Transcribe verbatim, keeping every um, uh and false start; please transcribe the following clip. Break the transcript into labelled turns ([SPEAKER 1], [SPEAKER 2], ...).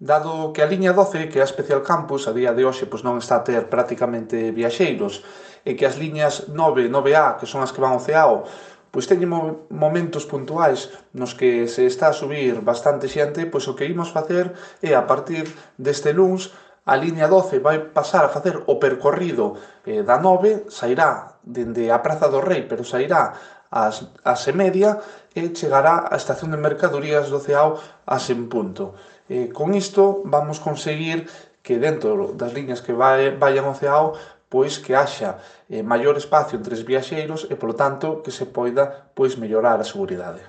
[SPEAKER 1] Dado que a liña doce, que é a Especial Campus, a día de hoxe pois non está a ter prácticamente viaxeiros, e que as liñas nove, nove A, que son as que van ao Ceao, pois teñen mo- momentos puntuais nos que se está a subir bastante xente, pois o que imos facer é, a partir deste luns, a liña doce vai pasar a facer o percorrido eh, da nove, sairá dende a Praza do Rei, pero sairá ás, ás e media e chegará á estación de mercadorías do Ceao ás en punto. Eh, con isto vamos conseguir que dentro das liñas que vai, vayan ao Ceao pois que haxa eh, maior espacio entre os viaxeiros e, polo tanto, que se poida pois mellorar a seguridade.